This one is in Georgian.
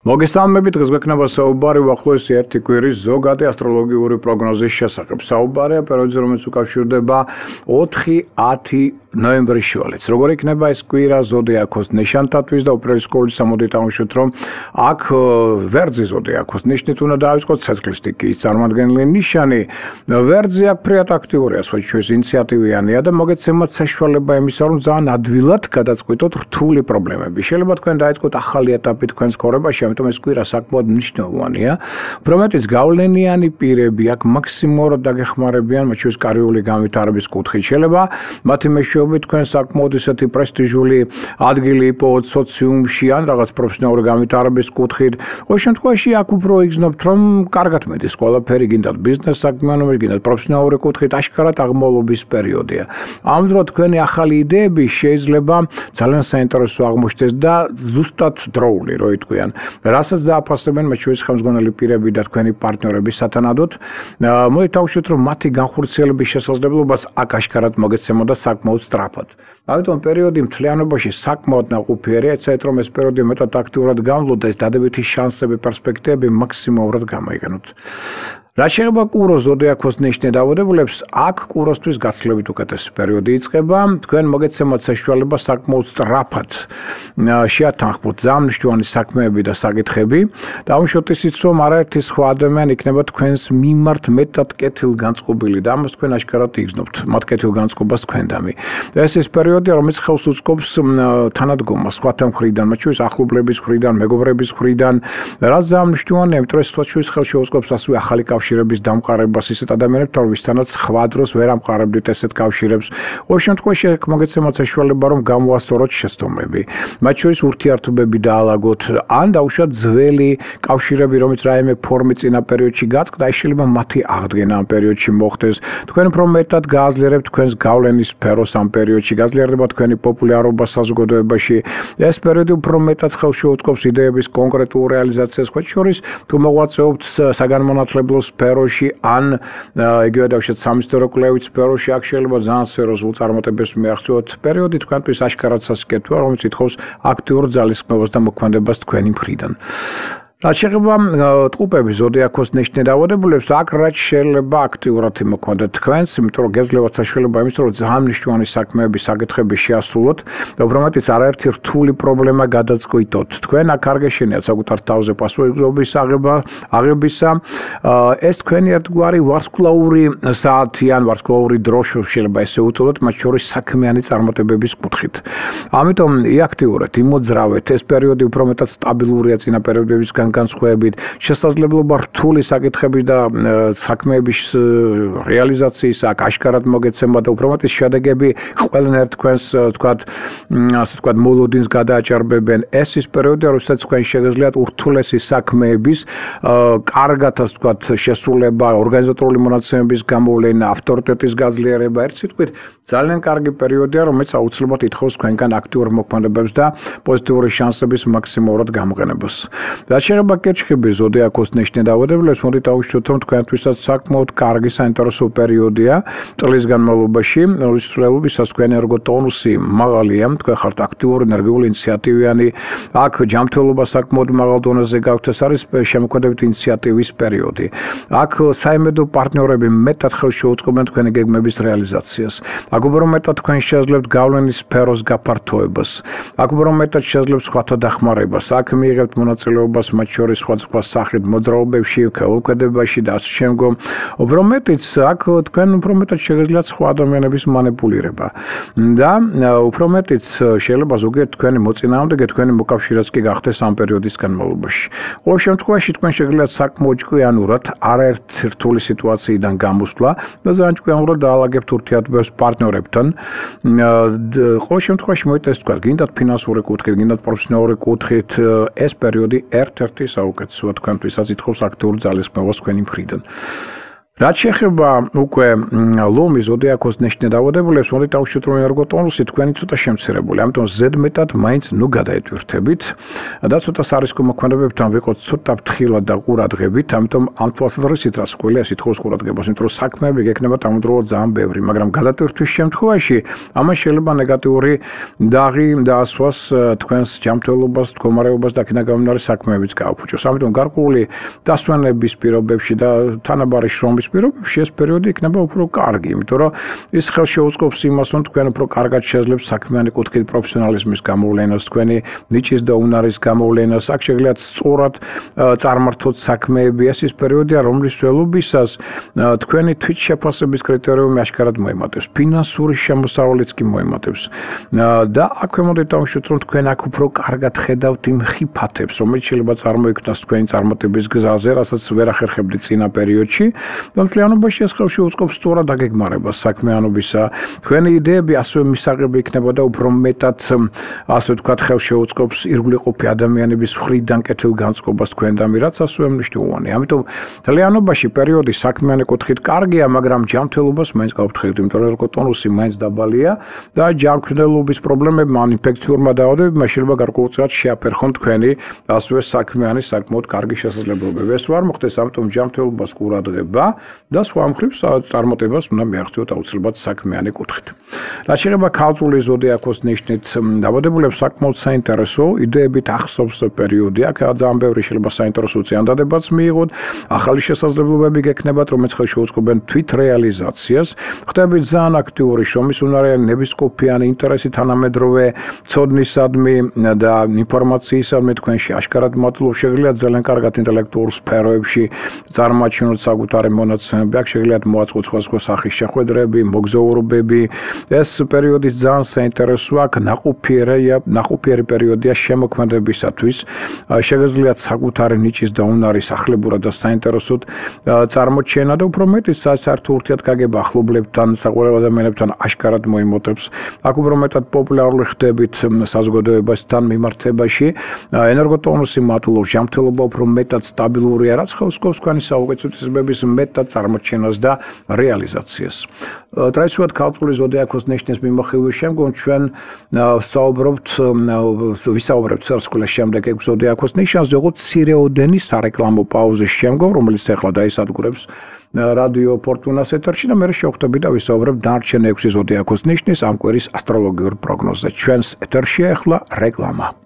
მოგესალმებით, დღეს გვექნება საუბარი უახლოესი ერთი კვირის ზოგადი ასტროლოგიური პროგნოზის შესახებ. საუბარია პერიოდზე, რომელიც უკავშირდება 4-10 ნოემბრის შუალედს. როგორ იქნება ეს კვირა ზოდიაქოს ნიშანთათვის და უპირისპირდით სამოდით აღნიშნოთ, რომ აქ ვერძი ზოდიაქოს ნიშნით უნდა დაივიწყოთ ცეცხლის სტიქიის წარმომადგენელი ნიშანი. ვერძი აქ ფრიად აქტიურია, სხვათა ინიციატივიანია და მოგეცემათ საშუალება იმისა, რომ ძალიან ადვილად გადაწყვიტოთ რთული პრობლემები. შეიძლება თქვენ დაიწყოთ ახალი ეტაპი თქვენს ცხოვრებაში. ამიტომ ეს კვირა საკმაოდ მნიშვნელოვანია. Პრომეტის გავლენიანი პირები აქ მაქსიმალურად დაგეხმარებიან, მათ შორის კარიერული განვითარების კუთხით. შეიძლება მათი მეშვეობით თქვენ საკმაოდ ისეთი პრესტიჟული ადგილი იპოვოთ სოციუმში ან რაღაც პროფესიონალური განვითარების კუთხით. ყოველ შემთხვევაში აქ უფრო იგრძნობთ, რომ კარგად მედის ყველაფერი, გინდათ ბიზნეს საქმიანობაში, გინდათ პროფესიონალური კუთხით, აშკარად აღმავლობის პერიოდია. ამ დროს თქვენი ახალი იდეები შეიძლება ძალიან საინტერესო აღმოჩნდეს და ზუსტად დროული, რო იტყვიან. რასაც დააფასებენ მათ შორის ხელმძღვანელი პირები და თქვენი პარტნიორები სათანადოდ. მოდით დავუშვით, რომ მათი განხორციელების შესაძლებლობას აქ აშკარად მოგეცემა და საკმაოდ სწრაფად. ამიტომ პერიოდი მთლიანობაში საკმაოდ ნაყოფიერია, ეცადეთ რომ ეს პერიოდი მეტად აქტიურად გამვლოთ და ეს დადებითი შანსები, პერსპექტივები მაქსიმალურად გამოიყენოთ. რა შეიძლება კუროს ზოდიაქოს ნიშნით დაავადებულებს, აქ კუროსთვის გაცილებით უკეთესი პერიოდი იწყება. თქვენ მოგეცემათ საშუალება საკმაოდ სწრაფად შეათანხმოთ ძალიან მნიშვნელოვანი საქმეები და საკითხები. დავუშვათ ისიც, რომ არაერთი სხვა ადამიანი იქნება თქვენს მიმართ მეტად კეთილგანწყობილი და ამას თქვენ აშკარად იგრძნობთ, მათ კეთილგანწყობას თქვენდამი. ეს ის პერიოდია, რომელიც ხელს უწყობს თანადგომას სხვათა მხრიდან, მათ შორის ახლობლების მხრიდან, მეგობრების მხრიდან, რაც ძალიან მნიშვნელოვანია, იმიტომ რომ სხვათა შორის ხელს შეუწყობს ასევე ახალი კავშირების დამყარებას ისეთ ადამიანებთან, ვისთანაც სხვა დროს ვერ ამყარებდით ესეთ კავშირებს. ყოველ შემთხვევაში მოგეცემათ საშუალება, რომ გამოასწოროთ შეცდომები. მათ შორის ურთიერთობები დაალაგოთ, ან დაუშვათ ძველი კავშირები, რომელიც რაიმე ფორმით წინა პერიოდში გაწყდა, შეიძლება მათი აღდგენა ამ პერიოდში მოხდეს. თქვენ უფრო მეტად გააძლიერებთ თქვენს გავლენის სფეროს ამ პერიოდში, გაძლიერდება თქვენი პოპულარობა საზოგადოებაში. ეს პერიოდი უფრო მეტად ხელს შეუწყობს იდეების კონკრეტულ რეალიზაციას, მათ შორის თუ მოღვაწეობთ საგანმანათლებლო სფეროში ან იგივე დავუშვათ სამისტორო კვლევით სფეროში, აქ შეიძლება ძალიან სერიოზულ წარმატებებს მიაღწიოთ. პერიოდი თქვენთვის აშკარად სასიკეთოა, რომელიც ითხოვს აქტიურ ძალისხმევას და მოქმედებას თქვენი მხრიდან. რაც შეეხება ტყუპების ზოდიაქოს ნიშნით დაავადებულებს, აქ რაც შეიძლება აქტიურად იმოქმედოთ თქვენს, იმიტომ რომ გეძლევათ საშუალება იმის, რომ ძალიან მნიშვნელოვანი საქმეები, საკითხები შეასრულოთ და უბრალოდ არაერთი რთული პრობლემა გადაწყვიტოთ. თქვენ აქ არ გეშენიათ საკუთარ თავზე პასუხისმგებლობის აღებისა. ეს თქვენი ერთგვარი ვარსკვლავური საათი ან ვარსკვლავური დრო შეიძლება ესე უწოდოთ, მათ შორის საქმიანი წარმატებების კუთხით. ამიტომ იაქტიურეთ, იმოძრავეთ, ეს პერიოდი უფრო მეტად სტაბილურია წინა პერიოდებისგან განსხვავებით, შესაძლებლობა რთული საკითხების და საქმეების რეალიზაციის აქ აშკარად მოგეცემა და უფრო მეტის შედეგები ყველანაირ თქვენს ასე ვთქვათ მოლოდინს გადააჭარბებენ. ეს ის პერიოდია, როდესაც თქვენ შეგიძლიათ ურთულესი საქმეების კარგად ასე ვთქვათ შესრულება, ორგანიზატორული მონაცემების გამოვლენა, ავტორიტეტის გაძლიერება. ერთ სიტყვით ძალიან კარგი პერიოდია, რომელიც აუცილებლად ითხოვს თქვენგან აქტიურ მოქმედებებს და პოზიტიური შანსების მაქსიმალურად გამოყენებას. შეიძლება კერჩხები ზოდიაქოს ნიშნით დაავადებულებს, მოდით დავუშვათ, რომ თქვენთვისაც საკმაოდ კარგი საინტერესო პერიოდია წლის განმავლობაში, რის ცვლილებისას თქვენი ენერგოტონუსი მაღალია, თქვენ ხართ აქტიური, ენერგიული, ინიციატივიანი, აქ ჯანმრთელობა საკმაოდ მაღალ დონეზე გაქვთ, ეს არის შემოქმედებითი ინიციატივის პერიოდი. აქ საიმედო პარტნიორები მეტად ხელს შეუწყობენ თქვენი გეგმების რეალიზაციას. აქ უფრო მეტად თქვენ შეძლებთ გავლენის სფეროს გაფართოებას. აქ უფრო მეტად შეძლებთ სხვათა დახმარებას. აქ მიიღებთ მონაწილეობას მათ შორის სხვადასხვა სახით მოძრაობებში, ქოლმოქმედებაში და ასე შემდგომ. უფრო მეტიც აქ თქვენ უფრო მეტად შეგეძლიათ სხვა ადამიანების მანიპულირება და უფრო მეტიც შეიძლება ზოგიერთ თქვენი მოწინააღმდეგე, თქვენი მოკავშირეც კი გახდეს ამ პერიოდის განმავლობაში. ყოველ შემთხვევაში თქვენ შეგიძლიათ საკმაოდ ჭკვიანურად არაერთი რთული სიტუაციიდან გამოსვლა და ძალიან ჭკვიანურად დაალაგებთ ურთიერთობებს პარტნიორებთან. ყოველ შემთხვევაში მოიტეს თქვა, გინდათ ფინანსური კუთხით, გინდათ პროფესიონალური კუთხით, ეს პერიოდი ერთ-ერთი საუკეთესოა თქვენთვისაც ითხოვს აქტიურ ძალისხმევას თქვენი მხრიდან. რაც შეეხება უკვე ლომის ზოდიაქოს ნიშნე დავადებულებს, მოდით დავუშვით, რომ ენერგოტონუსი თქვენი ცოტა შემცირებული, ამიტომ ზედმეტად მაინც ნუ გადაეტვირთებით და ცოტა სარისკომოქმედებებთან ვიყოთ ცოტა ფრთხილად და ყურადღებით, ამიტომ ამ თვალსაზრისით რას გვიძლია სითხოვს ყურადღებას, იმიტომ რომ საქმეები გექნება დამუდროულად ძალიან ბევრი, მაგრამ გადატვირთვის შემთხვევაში ამან შეიძლება ნეგატიური დაღი დაასვას თქვენს ჯანმრთელობას, მდგომარეობას და აქედან გამომდინარე საქმეებიც გააფუჭოს. ამიტომ გარკვეული დასვენების პირობებში და თანაბარი შრომის პირობებში ეს პერიოდი იქნება უფრო კარგი, იმიტომ რომ ის ხელშეუწყობს იმას, რომ თქვენ უფრო კარგად შეძლებთ საქმიანი კუთხით პროფესიონალიზმის გამოვლენას, თქვენი ნიჭის და უნარის გამოვლენას, აქ შეგიძლიათ სწორად წარმართოთ საქმეები. ეს ის პერიოდია, რომლის ველობისას თქვენი თვითშეფასების კრიტერიუმი ашკარად მოემატებს, ფინანსური შემოსავალიც კი მოემატებს. და აქვე მოდით დავუშვით, რომ თქვენ აქ უფრო კარგად ხედავთ იმ ხიფათებს, რომელიც შეიძლება წარმოიქმნას თქვენი წარმატების გზაზე, რასაც ვერ ახერხებდით წინა პერიოდში. მთლიანობაში ეს ხელში უწყობს სწორად დაგეგმარებას საქმიანობისა. თქვენი იდეები ასევე მისაღები იქნება და უფრო მეტად, ასე ვთქვათ, ხელში უწყობს ირგვლივყოფი ადამიანების მხრიდან კეთილგანწყობას თქვენდამი, რაც ასევე მნიშვნელოვანია. ამიტომ მთლიანობაში პერიოდი საქმიანი კუთხით კარგია, მაგრამ ჯანმრთელობას მაინც გავფრთხილდით, იმიტომ რომ ენერგოტონუსი მაინც დაბალია და ჯანმრთელობის პრობლემებმა, ან ინფექციურმა დაავადებებმა შეიძლება გარკვეულწილად შეაფერხონ თქვენი ასევე საქმიანი საკმაოდ კარგი შესაძლებლობები. ეს არ მოხდეს, ამიტომ ჯანმრთელობას ყურადღება და სხვა მხრივ წარმატებას უნდა მიაღწიოთ აუცილებლად საქმიანი კუთხით. რაც შეეხება ქალწული ზოდიაქოს ნიშნით დაბადებულებს, საკმაოდ საინტერესო იდეებით ახსოვს პერიოდი. აქ ძალიან ბევრი შეიძლება საინტერესო წინადადებაც მიიღოთ, ახალი შესაძლებლობები გექნებათ, რომელიც ხელშეუწყობენ თვითრეალიზაციას. ხდებით ძალიან აქტიური შრომის უნარიანი, ნებისყოფიანი ინტერესი თანამედროვე ცოდნისადმი და ინფორმაციისადმი თქვენში აშკარად მატულობს. შეგიძლიათ ძალიან კარგად ინტელექტუურ სფეროებში წარმოაჩინოთ საკუთარი მონაცემები, აქ შეგიძლიათ მოაწყოთ სხვა სახის შეხვედრები, მოგზაურობები. ეს პერიოდი ძალიან საინტერესოა, აქ ნაყოფიერი პერიოდია შემოქმედებისათვის. შეგიძლიათ საკუთარი ნიჭის და უნარის ახლებურად და საინტერესოდ წარმოჩენა და უფრო მეტიც საერთო ურთიერთგაგება ახლობლებთან, საყვარელ ადამიანებთან აშკარად მოიმოტებს. აქ უფრო მეტად პოპულარული ხდებით საზოგადოებასთან მიმართებაში. ენერგოტონუსი მატულობს, ჯანმრთელობა უფრო მეტად სტაბილურია, რაც ხელს უწყობს თქვენი საუკეთესობების მეტად წარმოჩენას და რეალიზაციას. ტრადიციულად ქალწული ზოდიაქოს ნიშნის მიმოხილვის შემდგომ ჩვენ ვისაუბრებთ სარსკვლელის შემდეგ ეგ ზოდიაქოს ნიშანზე, ოღონდ მცირეოდენი სარეკლამო პაუზის შემდგომ, რომელიც ახლა დაისადგურებს რადიო ფორტუნას ეთერში და მე შევხვდები და ვისაუბრებ დანარჩენ 6 ზოდიაქოს ნიშნის ამ კვირის ასტროლოგიურ პროგნოზზე. ჩვენს ეთერშია ახლა რეკლამა.